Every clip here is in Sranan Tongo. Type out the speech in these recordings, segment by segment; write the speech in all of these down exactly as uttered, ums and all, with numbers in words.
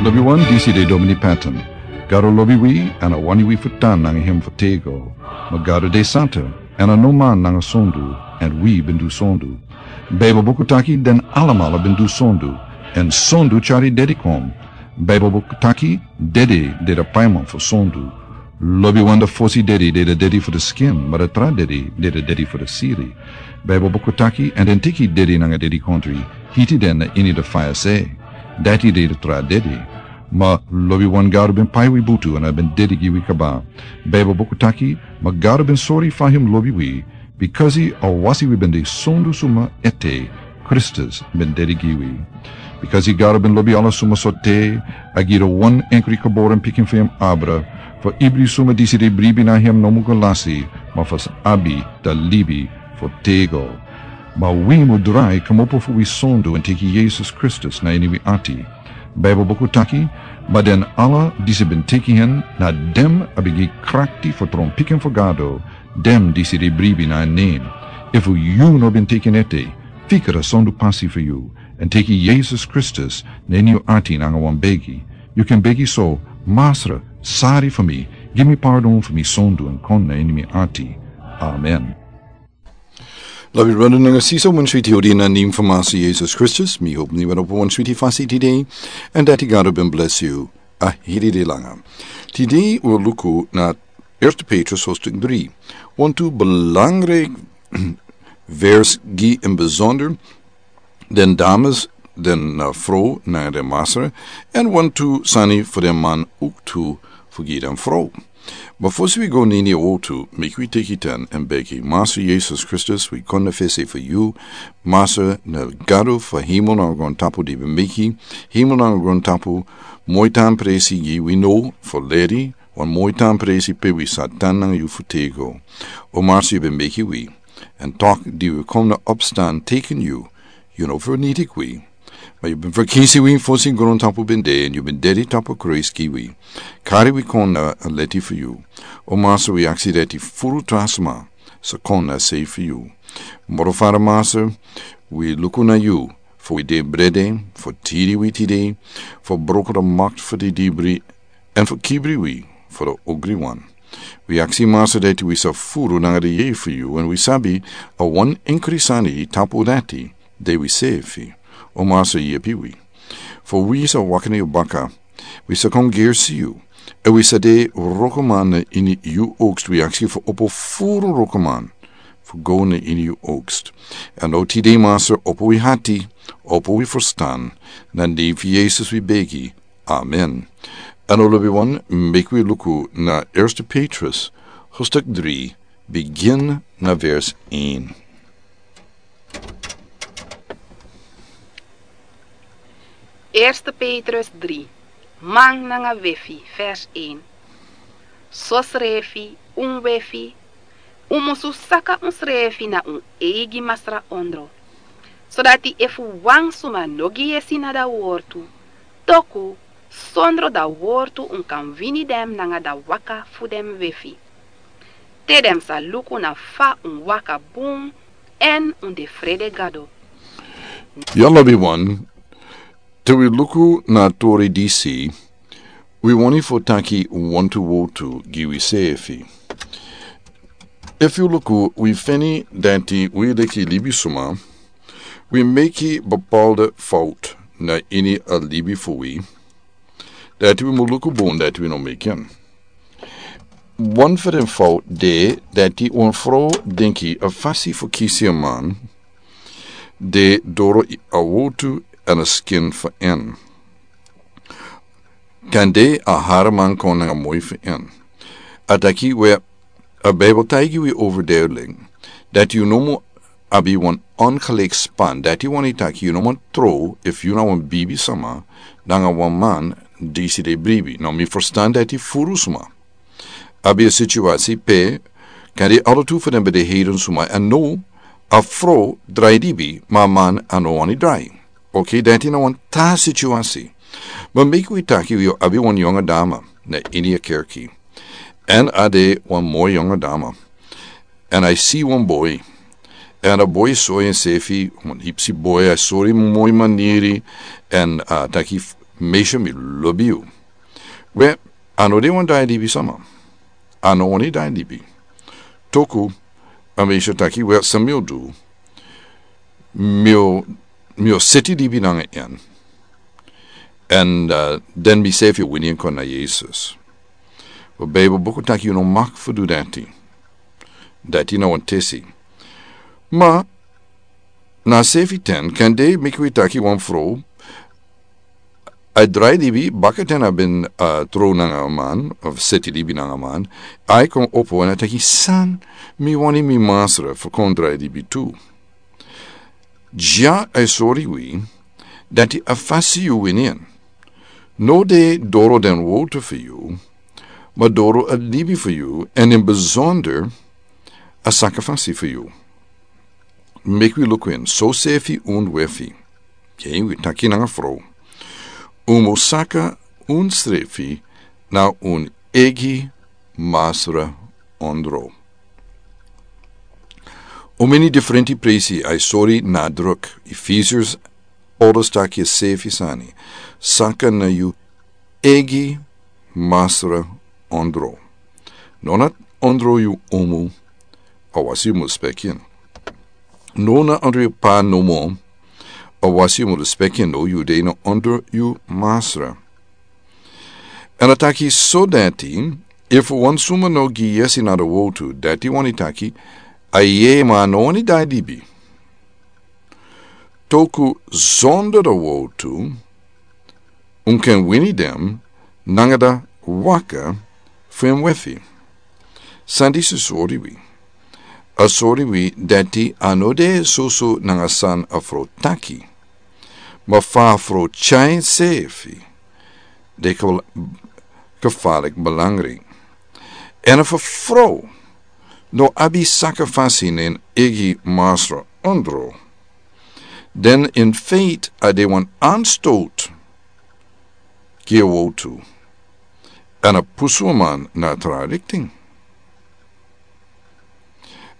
Lobi wan, disi de Domini Patton. Gado lobi wi, èn a wani wi fu tan nanga hem fu tego. Ma Gado de santa, èn a no man nanga sondu, èn wi ben du sondu. Baibel buku taki den alamala ben du sondu, èn sondu tyari dedi kon. Baibel buku taki dedi de a paiman fu sondu. Lobi wan, a fosi dedi de a dedi fu a skin, ma a tra dedi de a dedi fu a siri. Baibel buku taki, èn den teki dedi nanga dedikontri, hiti den na ini a faya se. Dati de a tra dedi. Ma lobi wan, Gado ben pai wi butu èn a ben dedi gi wi kaba. Baibel buku taki, ma Gado ben sori fa hem lobi wi, bikasi a wasi wi ben de sondu suma ete, Kristus ben dedi gi wi. Bikasi Gado ben lobi ala suma so te, a gi a wan enkri geboren pikin fu hem abra, fu ibri suma disi de bribi na hem no mu go lasi, ma fu sa abi a libi fu tego. Ma wi mu drai kmopo fu wi sondu èn teki Yesus Kristus na ini wi ati. Baibel buku taki, ma den ala disi ben teki hen, na den a ben gi krakti fu tron pikin fu Gado, den disi de bribi na en nen. Efu yu no ben teki en ete, fika a sondu pasi fu yu, èn teki Yesus Kristus na ini yu ati nanga wan begi. Yu kan begi so: Masra, sori fu mi, gi mi pardon fu mi sondu èn kon na ini mi ati. Amen. Lobi brada nanga sisa, wan switi odi na nen fu Masra Yesus Kristus, mi hopi yu ben opo wan switi fasi tide, èn dati Gado ben bless yu a heri de langa. Tide wi o luku na Eerste Petrus hoofdstuk drie. Wantu belangrijk vers gi in bijzonder den dames, den, eh, vrouw na den Masra, èn wantu sani fu den man ook tu fu gi den vrouw. Ma fosi wi go na ini a wortu, meki wi teki tan èn begi: Masra Yesus Kristus, wi kon na fesi fu yu. Masra, na Gado fu hemel nanga grontapu di ben meki hemel nanga grontapu, moi tan presi gi wi now fu leri, wan moi tan presi pe wi sa tan nanga yu fu tego. O Masra, yu ben meki wi, èn tok di wi kon na opstan teken yu, yu no vernietig wi. Ma yu ben verkisi wi fosi grontapu ben de, èn yu ben dedi tapu kruis gi wi. Kari wi kon na a leti fu yu. O Masra, wi aksi dati furu tra sma sa kon na sei fu yu. Moro Fada Masra, wi luku na yu fu wi de brede, fu tiri wi tide, fu broko a makti fu di dibri, èn fu kibri wi fu a ogriwan. Wi aksi Masra dati wi sa furu nanga a yeye fu yu, èn wi sabi a wan enkri sani tapu dati, de wi sefi. O Masra, yepi wi. Fu wi sa waka na yu baka, wi sa kon gersi yu, èn wi sa de wroko man na ini yu oogst. Wi aksi fu opo furu wroko man fu go na ini yu oogst. Èn now tide Masra, opo wi ati, opo wi ferstan, na nen fu Yesus wi begi. Amen. Èn now lobi wan, meki wi luku na Eerste Petrus hoofdstuk drie, begin na vers een. Eerste Petrus drie, man nanga wefi, vers een. Sosrefi, un wefi, un musu saka unsrefi na un eigi Masra ondro. Sodati efu wan suma no gi yesi na a wortu, toku sondro a wortu un kan wini den nanga a waka fu den wefi. Te den sa luku na fa un waka bun èn un de frede Gado. Ya lobi wan, te wi luku na a tori disi, wi wani fu taki wantu wortu gi wi sefi. Efu yu luku, wi feni dati wi leki libisma, wi meki bepaalde fout na ini a libi fu wi, dati wi mu luku bun dati wi no meki en. Wan fu den fout de dati wan vrouw denki a fasi fu kisi a man de doro a wortu èn a skin fu en. Kande a haraman kon nanga moi fu en. A taki we, a Bijbel taigi wi overduidelijk dati yu no mu abi wan ongelijk span. Dati wani taki yu no man trouw efu yu na wan bibisma nanga wan man disi de bribi. Now mi ferstan dati furu sma abi a situasi pe kande ala tu fu den ben de heidensma, èn now a vrouw drai libi, ma a man a no wani drai. Oké, dati na wan tra situasi. Ma meki wi taki wi abi wan yonge dama na ini a kerki. Èn a de wan moi yonge dama. Èn a si wan boi. Èn a boi sori ensefi, wan hipsi boi, a sori moi maniri. Èn a taki f-, Meisyo, mi lobi yu. We, a no de wan drai libi sama. A no wani drai libi. Toku a meisyo taki, we, san mi o du? Mi o, mi o seti libi nanga en. Èn den mi sefi o wini en kon na Yesus. We, Beibel buku taki yu no mag fu du dati. Dati na wan tesi. Ma na a sefi ten, kande meki wi taki wan frow a drai libi, baka ten a ben tron nanga a man, of seti libi nanga a man, a e kon opo èn a taki, san, mi wani mi masra fu kon drai libi tu. Dya a e sori wi dati a fasi yu wini en no de doro den wowtu fu yu, ma doro a libi fu yu, èn in bizonder a saka fasi fu yu. Meki wi luku en, sosefi un wefi. Yu e taki nanga frow, un mus saka unsrefi na un eigi masra ondro. Un meni diferenti presi a e sori na druk, Efesius, Paulus taki a sefi sani, saka na yu eigi masra ondro. No na ondro yu umu, a wasi yu mus respeki en. No na ondro yu pa nomo, a wasi yu mus respeki en, no, yu de na ondro yu masra. Èn a taki so dati, efu wan suma no gi yesi na a wowtu, dati wani taki a yeye, ma a no wani drai libi. Toku zonder a wowtu un kan wini den nanga a waka fu en wefi. San disi sori wi? A sori wi dati a no de soso nanga san a frow taki, ma fa a frow tyai ensefi de gevaarlijk belangrijk. Èn efu a frow no abi saka fasi na en eigi masra ondro, dan in feite a de wan aanstoot gi a wowtu, èn a pusu a man na a tra rikting.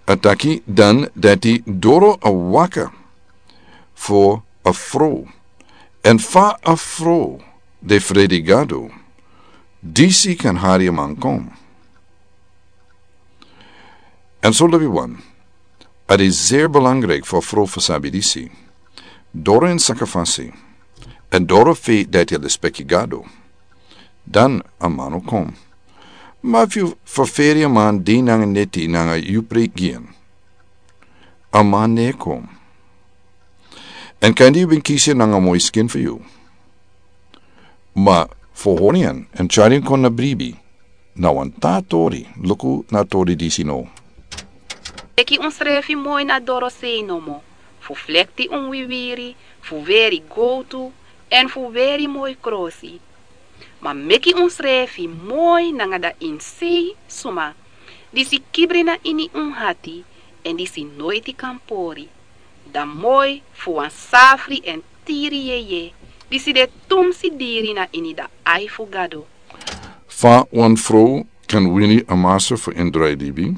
A taki dan dati doro a waka fu a frow, èn fa a frow de frede Gado, disi kan hari a man kon. Èn so lobi wan, a de zeer belangrijk fu a frow fu sabi disi. Doro en saka fasi, èn doro fe dati a respeki Gado, dan a man o kon. Ma fu ferferi a man dei nanga neti nanga yu prei gi en, a man no e kon. Èn kande yu ben kisi en nanga moi skin fu yu, ma fu hori en èn tyari en kon na bribi, na wan tra tori. Luku na a tori disi now. Meki unsrefi moi na dorosei nomo, fu flekti un wiwiri, fu weri gowtu, èn fu weri moi krosi. Ma meki unsrefi moi nanga den insei suma disi kibri na ini un ati, èn disi noiti kan pori. Dan moi fu wan safri èn tiri yeye, disi de tumsi diri na ini den ai fu Gado. Fa wan frow kan wini a masra fu en drai libi?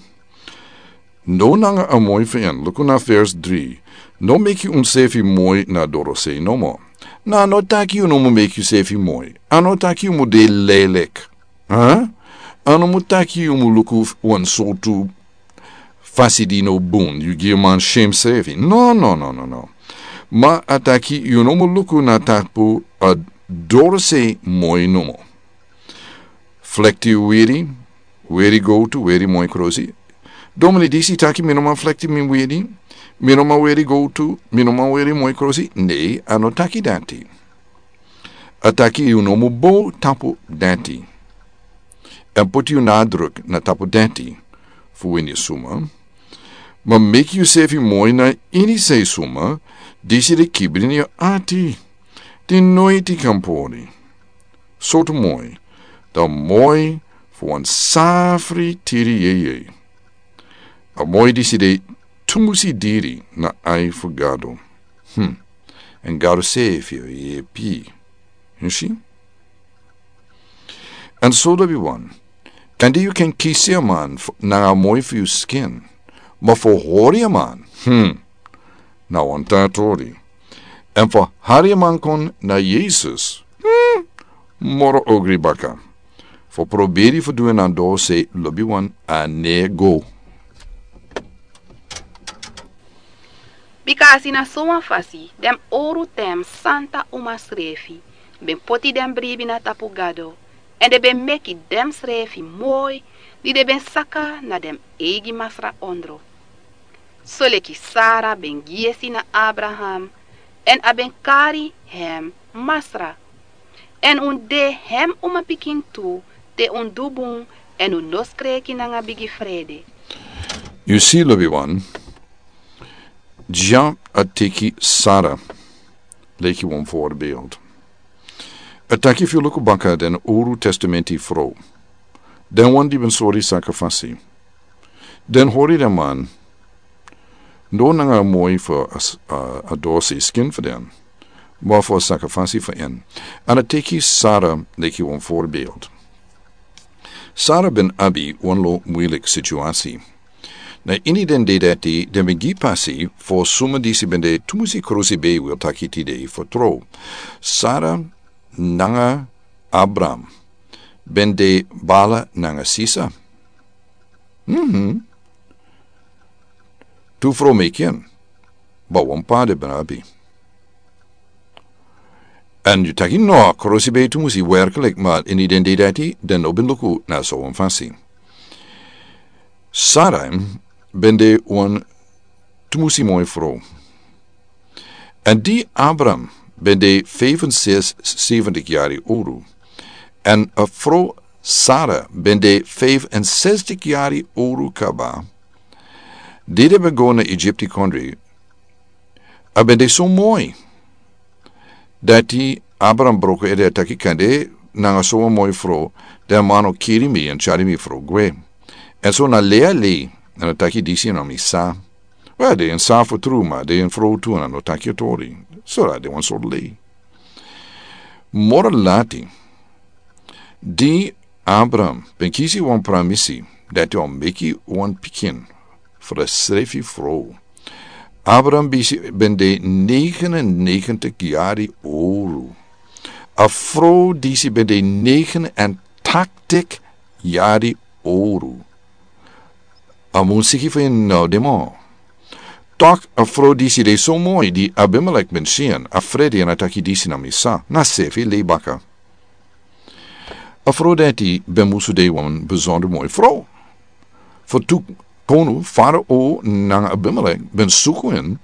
No nanga a moi fu en. Luku na vers dri. No meki unsefi moi na dorosei nomo. Na a no taki yu no mu meki yusefi moi. A no taki yu mu de lelek. A? A no mu taki yu mu luku wan sortu fasi di no bun, yu gi a man shem sefi. No, no, no, no, no. Ma a taki yu no mu luku na tapu a dorosei moi nomo. Flekti weri, weri gowtu, weri moi krosi. Domini disi taki mi no man flekti mi weri, mi no man weri gowtu, mi no man weri moi krosi. Nei, a no taki dati. A taki yu no mu bow tapu dati. Èn poti yu nadruk na tapu dati fu wini suma. Ma meki yusefi moi na ini sei suma disi de kibri na yu ati, di noiti kan pori. Sortu moi? Dan moi fu wan safri tiri yeye. A moi disi de tumsi diri na ai fu Gado. Hm. Èn Gado sefi o yepi. Yu si? Èn so lobi wan, kande yu kan kisi a man nanga a moi fu yu skin, ma fu hori a man, hm, na wan tra tori. Èn fu hari a man kon na Yesus, hm, Moro ogri baka. Fo proberi fo duen nan do se lobi wan a nego. Bikasi na sowan fasi den owru tem santa umasrefi ben poti den bribi na tapu Gado, èn den ben meki demsrefi moi di den ben saka na den eigi masra ondro. Soleki Sara ben gi yesi na Abraham, èn a ben kari hem masra. Èn un de hem umapikin tu te un du bun èn un no skreki nanga bigi frede. Yu si lobi wan, Dya a teki Sara leki wan voorbeeld. A taki fu yu luku baka den owru testamenti frow, den wan di ben sori sakafasi, den hori den man no nanga moi fu a dose skin fu den, ma fu a sakafasi fu en. An a teki Sara leki wan voorbeeld. Sara ben abi wan lo muilik situasi. Na ini den dei dati den ben gi pasi fo suma disi ben de tumusi krusi bei wil taki tide fo tro. Sara nanga Abraham ben de bala nanga sisa. Mhm. Tu fro meki en, ba wan pa de ben abi. An yu taki no, krusi bei tumusi werkelik, ma ini den dei dati den no ben luku na so wan fasi. Sara ben de wan tumusi moi fro. An di Abraham ben de vijfenzeventig yari owru, an a fro Sara ben de vijfenzestig yari owru kaba. Di den ben go na Egypti kondri, a ben de so moi dati Abraham broko ede a taki kande nanga so wan moi fro, den man o kiri mi an tyari mi fro gwe. An so na lei a lei, an a taki disi na mi sa. We, den sa fu tru, ma den fro tu an a no taki a tori. So dati den wan sortu lei. Moro lati, di Abraham ben kisi wan pramisi dati a o meki wan pikin fu a srefi fro. Abraham bisi ben de negenennegentig yari owru. A fro disi ben de negenentaktig yari owru. A musiki fu en no de mo. Tok a fro disi de so moi di Abimelek ben si en, a frede an a taki disi na mi sa, na sefi lei baka. A fro dati ben musu de wan besonder moi fro. Fu tu konu Farao nanga Abimelek ben suku en,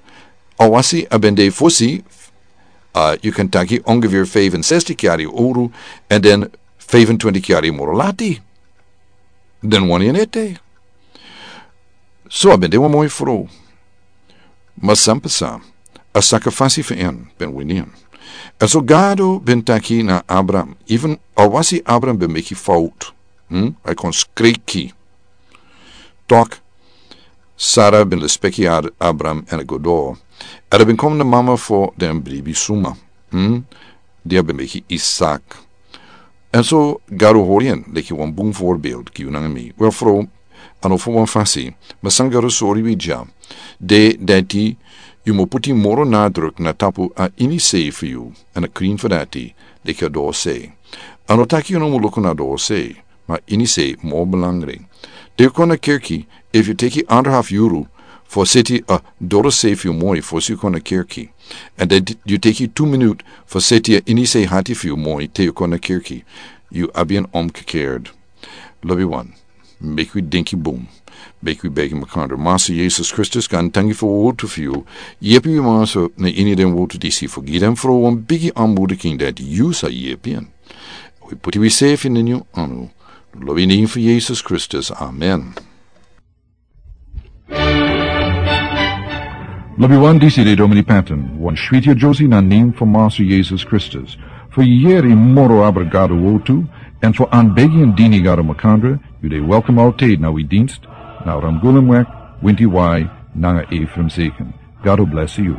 a wasi a ben de fosi, a yu kan taki ongeveer vijfenzestig yari owru, an den vijfentwintig yari moro lati. Den wani en ete. So a ben de wan moi fro. Ma san pasa, a sakafasi fu en ben wini en. An so Gado ben taki na Abraham, even a wasi Abraham ben meki fout, hmm? A kon skreki. Tok, Sara ben lespeki Abraham an a go doro. An a ben kon na mama fu den bribi suma, hmm? Di a ben meki Isak. An so Gado hori en leki wan bun voorbeeld gi yu nanga mi. Wel fro, a no fu wan fasi, ma san Gado sori wi dya, de dati yu mu puti moro nadruk na tapu a ini sei fu yu, an a krin fu dati, leki a doro sei. A no taki yu no mu luku na doro sei, ma ini sei moro belangrijk. Te yu kon na kerki, efu yu teki anderhalf yuru fu seti a doro sei fu yu moi fosi yu kon na kerki, an dan yu teki tu minut fu seti a ini sei hati fu yu moi te yu kon na kerki, yu abi en omgekeerd. Lobi wan, meki wi denki bun. Meki wi begi makandra. Master Yesus Kristus, gaantangi fu a wortu fu yu. Yepi wi, Master, na ini den wortu disi fu gi den fro wan bigi aanmoediking dati yu sa yepi en. Wi puti wi sefi na ini yu anu. Lobi ini fu Yesus Kristus. Amen. Lobi wan, disi de Domini Patton, wan switi a Josie na nen fu Master Yesus Kristus. Fu yeri moro abra Gado wortu, an fu aanbegi en dini Gado makandra, yu de welkom altijd na wi dienst, na Ramgulumweg, Winti Wai, nanga Ephraim Zeken. Gado bless yu.